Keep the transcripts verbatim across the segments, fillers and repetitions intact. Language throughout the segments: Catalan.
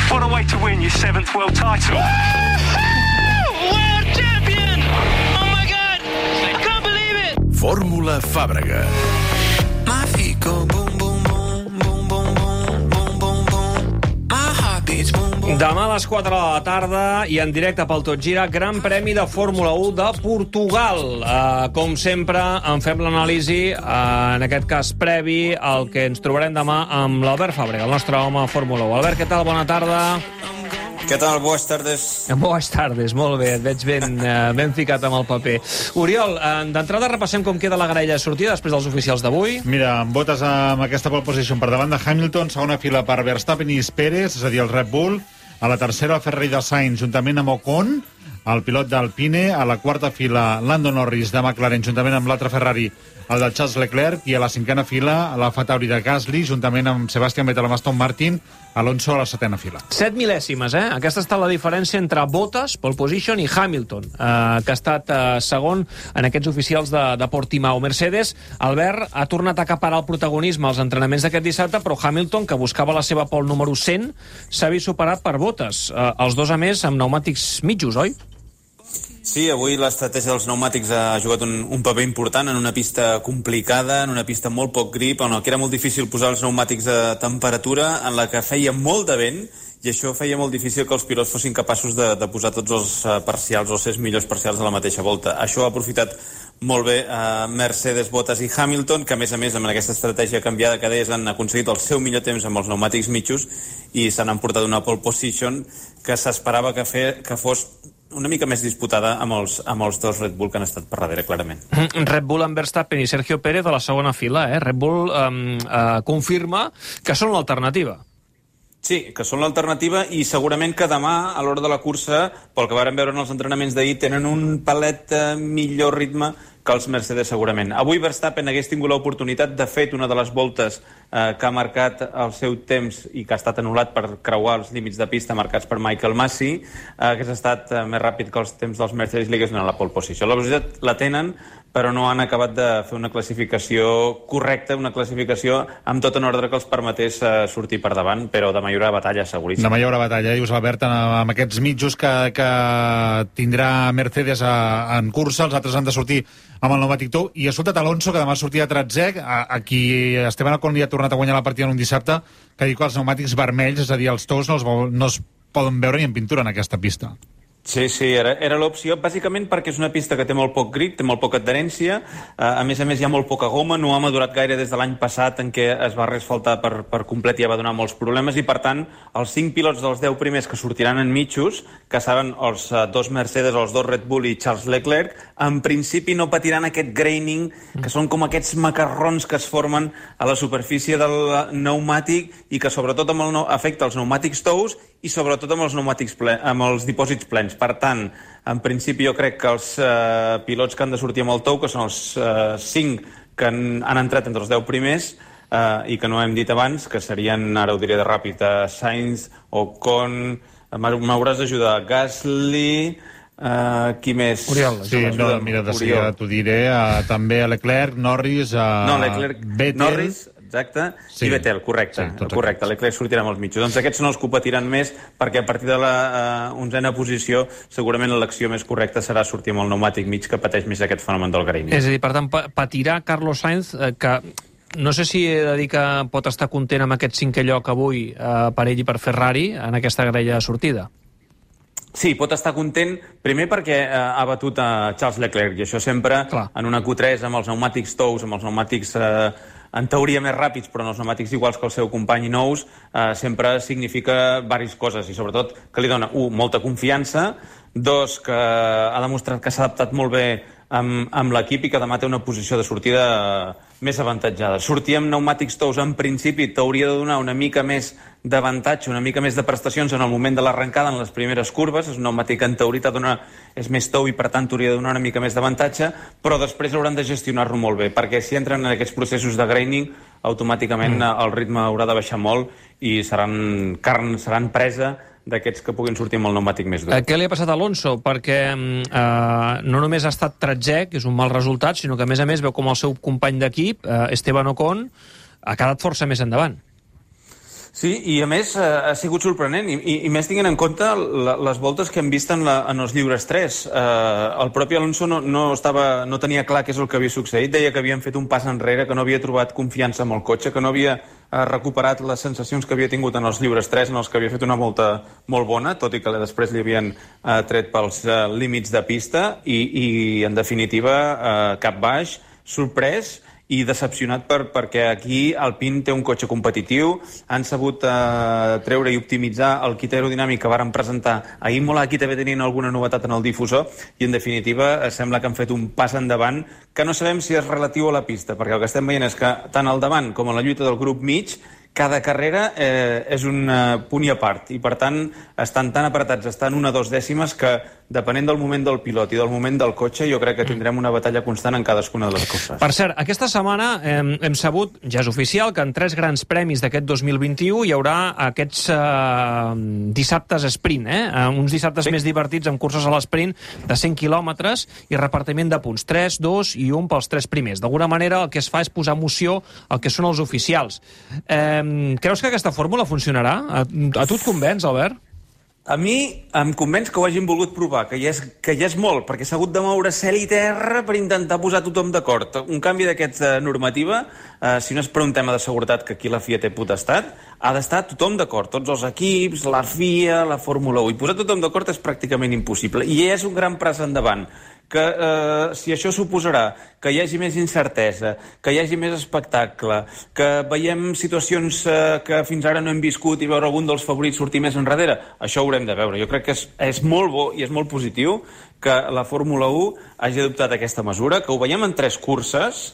What a way to win your seventh world title. World champion! Oh my God! I can't believe it! Fórmula Fàbrega. My feet go boom, boom, boom, boom, boom, boom, boom, boom, boom. My heart beats boom, boom. Demà a les quatre de la tarda i en directe pel Tot Gira, Gran Premi de Fórmula u de Portugal. Uh, com sempre, en fem l'anàlisi, uh, en aquest cas previ, al que ens trobarem demà amb l'Albert Fàbrega, el nostre home a Fórmula u. Albert, què tal? Bona tarda. Què tal? Bones tardes. Bones tardes, molt bé, et veig ben, uh, ben ficat amb el paper. Oriol, uh, d'entrada repassem com queda la graella de sortida després dels oficials d'avui. Mira, amb botes amb aquesta pole position per davant de Hamilton, segona fila per Verstappen i Pérez, és a dir, el Red Bull. A la tercera, el Ferrari de Sainz, juntament amb Ocon, el pilot d'Alpine. A la quarta fila, Lando Norris de McLaren, juntament amb l'altre Ferrari, el de Charles Leclerc. I a la cinquena fila, la Tauri de Gasly, juntament amb Sebastian Vettel, amb Aston Martin. Alonso a la setena fila. Set mil·lèsimes, eh? Aquesta està la diferència entre Bottas, pole position, i Hamilton, eh, que ha estat eh, segon en aquests oficials de, de Portimao. Mercedes, Albert, ha tornat a acaparar el protagonisme als entrenaments d'aquest dissabte, però Hamilton, que buscava la seva pole número cent, s'ha vist superat per Bottas. Eh, els dos, a més, amb pneumàtics mitjos, oi? Sí, avui l'estratègia dels pneumàtics ha jugat un, un paper important en una pista complicada, en una pista amb molt poc grip, on que era molt difícil posar els pneumàtics a temperatura, en la que feia molt de vent, i això feia molt difícil que els pilots fossin capaços de, de posar tots els uh, parcials o els millors parcials a la mateixa volta. Això ha aprofitat molt bé uh, Mercedes, Bottas i Hamilton, que a més a més amb aquesta estratègia canviada que deies han aconseguit el seu millor temps amb els pneumàtics mitjos i s'han emportat una pole position que s'esperava que, fe, que fos una mica més disputada amb els, amb els dos Red Bull que han estat per darrere, clarament. Red Bull amb Verstappen i Sergio Pérez a la segona fila, eh? Red Bull um, uh, confirma que són l'alternativa. Sí, que són l'alternativa i segurament que demà, a l'hora de la cursa, pel que vàrem veure en els entrenaments d'ahir, tenen un palet eh, millor ritme que els Mercedes segurament. Avui Verstappen hagués tingut l'oportunitat, de fet, una de les voltes eh, que ha marcat el seu temps i que ha estat anul·lat per creuar els límits de pista marcats per Michael Masi, eh, hagués estat eh, més ràpid que els temps dels Mercedes i li hagués donat la pole position. La velocitat la tenen, però no han acabat de fer una classificació correcta, una classificació amb tot en ordre que els permetés eh, sortir per davant, però demà hi haurà batalla, seguríssim. Demà hi haurà batalla, dius, Albert, amb aquests mitjos que, que tindrà Mercedes a, en cursa, els altres han de sortir amb el pneumàtic tou, i ha soltat Alonso, que demà sortia a tretzè, a, a qui Esteban Ocon li ha tornat a guanyar la partida en un dissabte, que diu que els pneumàtics vermells, és a dir, els tous, no, els, no es poden veure ni en pintura en aquesta pista. Sí, sí, era, era l'opció, bàsicament perquè és una pista que té molt poc grip, té molt poca adherència, a més a més hi ha molt poca goma, no ha madurat gaire des de l'any passat en què es va reasfaltar per, per complet i ja va donar molts problemes, i per tant els cinc pilots dels deu primers que sortiran en mitjos, que seran els dos Mercedes, els dos Red Bull i Charles Leclerc, en principi no patiran aquest graining, que són com aquests macarrons que es formen a la superfície del pneumàtic i que sobretot amb el, afecta els pneumàtics tous i sobretot amb els pneumàtics ple, amb els dipòsits plens. Per tant, en principi jo crec que els eh, pilots que han de sortir amb el tou, que són els eh, cinc que han, han entrat entre els deu primers eh, i que no hem dit abans, que serien, ara ho diré de ràpid, eh, Sainz, Ocon, m'hauràs d'ajudar, Gasly, eh, qui més? Oriol. Sí, no, mira, de seguida t'ho diré, eh, també a Leclerc, Norris, eh, no, Leclerc, Vettel... Norris, exacte, sí. I Vettel, correcte, sí, correcte. Leclerc sortirà amb els mitjos. Doncs aquests són els que ho patiran més, perquè a partir de la uh, onzena posició segurament l'elecció més correcta serà sortir amb el pneumàtic mig, que pateix més aquest fenomen del graining. És a dir, per tant, patirà Carlos Sainz, eh, que no sé si he de dir que pot estar content amb aquest cinquè lloc avui eh, per ell i per Ferrari en aquesta graella de sortida. Sí, pot estar content, primer perquè eh, ha batut a Charles Leclerc, i això sempre, clar, en una Q tres, amb els pneumàtics tous, amb els pneumàtics eh, en teoria més ràpids, però en els pneumàtics iguals que el seu company nous, eh, sempre significa diverses coses, i sobretot que li dona, un, molta confiança, dos, que ha demostrat que s'ha adaptat molt bé amb, amb l'equip i que demà té una posició de sortida més avantatjada. Sortir amb pneumàtics tous en principi t'hauria de donar una mica més d'avantatge, una mica més de prestacions en el moment de l'arrencada, en les primeres curves. És un pneumàtic que en teoria dona, és més tou i per tant t'hauria de donar una mica més d'avantatge, però després hauran de gestionar-lo molt bé, perquè si entren en aquests processos de graining, automàticament mm. el ritme haurà de baixar molt i seran carn, seran presa d'aquests que puguin sortir amb el pneumàtic més dur. Què li ha passat a Alonso? Perquè eh, no només ha estat tretzè, que és un mal resultat, sinó que a més a més veu com el seu company d'equip, eh, Esteban Ocon, ha quedat força més endavant. Sí, i a més eh, ha sigut sorprenent, i, i, i més tinguent en compte la, les voltes que hem vist en, la, en els lliures tres. Eh, el propi Alonso no, no, estava, no tenia clar què és el que havia succeït, deia que havien fet un pas enrere, que no havia trobat confiança amb el cotxe, que no havia eh, recuperat les sensacions que havia tingut en els lliures tres, en els que havia fet una volta molt bona, tot i que després li havien eh, tret pels eh, límits de pista, i, i en definitiva eh, cap baix, sorprès, i decepcionat per, perquè aquí Alpine té un cotxe competitiu, han sabut eh, treure i optimitzar el kit aerodinàmic que varen presentar a Imola. Aquí també tenien alguna novetat en el difusor i en definitiva eh, sembla que han fet un pas endavant que no sabem si és relatiu a la pista, perquè el que estem veient és que tant al davant com a la lluita del grup mig cada carrera eh, és un eh, punt i a part, i per tant estan tan apretats, estan una o dos dècimes que depenent del moment del pilot i del moment del cotxe, jo crec que tindrem una batalla constant en cadascuna de les curses. Per cert, aquesta setmana hem, hem sabut, ja és oficial, que en tres grans premis d'aquest dos mil vint-i-u hi haurà aquests eh, dissabtes sprint, eh? uns dissabtes sí. més divertits amb curses a l'esprint de cent quilòmetres i repartiment de punts, tres, dos i un pels tres primers. D'alguna manera el que es fa és posar emoció al que són els oficials. Eh, creus que aquesta fórmula funcionarà? A, a tu et convenç, Albert? A mi em convenç que ho hagin volgut provar, que ja és, que ja és molt, perquè s'ha hagut de moure cel i terra per intentar posar tothom d'acord. Un canvi d'aquesta normativa, eh, si no és per un tema de seguretat, que aquí la F I A té potestat, ha d'estar tothom d'acord, tots els equips, la F I A, la Fórmula u, i posar tothom d'acord és pràcticament impossible. I és un gran pas endavant, que eh, si això suposarà que hi hagi més incertesa, que hi hagi més espectacle, que veiem situacions eh, que fins ara no hem viscut i veure algun dels favorits sortir més enrere, això ho haurem de veure. Jo crec que és, és molt bo i és molt positiu que la Fórmula u hagi adoptat aquesta mesura, que ho veiem en tres curses,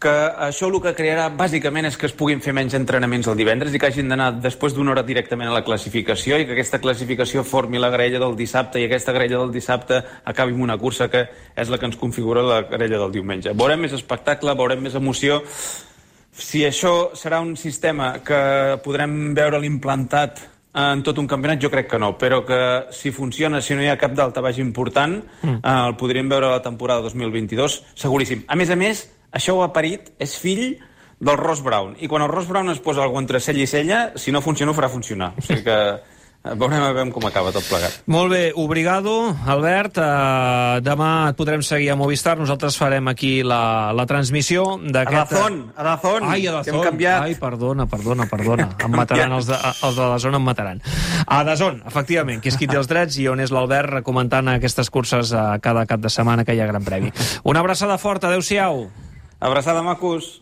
que això el que crearà bàsicament és que es puguin fer menys entrenaments el divendres i que hagin d'anar després d'una hora directament a la classificació i que aquesta classificació formi la graella del dissabte i aquesta graella del dissabte acabi amb una cursa que és la que ens configura la graella del diumenge. Veurem més espectacle, veurem més emoció. Si això serà un sistema que podrem veure l'implantat en tot un campionat, jo crec que no, però que si funciona, si no hi ha cap daltabaix important, mm. eh, el podríem veure a la temporada dos mil vint-i-dos, seguríssim. A més a més, això ho ha parit, és fill del Ross Brown, i quan el Ross Brown es posa algú entre cella i cella, si no funciona, ho farà funcionar. O sigui que veurem a veure com acaba tot plegat. Molt bé, obrigado, Albert. Uh, demà et podrem seguir a Movistar. Nosaltres farem aquí la, la transmissió d'aquest... A Dazón, a Dazón, Ai, a Dazón. que hem canviat. Ai, perdona, perdona, perdona. Em mataran, els de, els de la zona em mataran. A Dazón, efectivament, que és qui té els drets i on és l'Albert comentant aquestes curses a cada cap de setmana que hi ha Gran Premi. Una abraçada forta, adeu-siau. Abraçada, macos.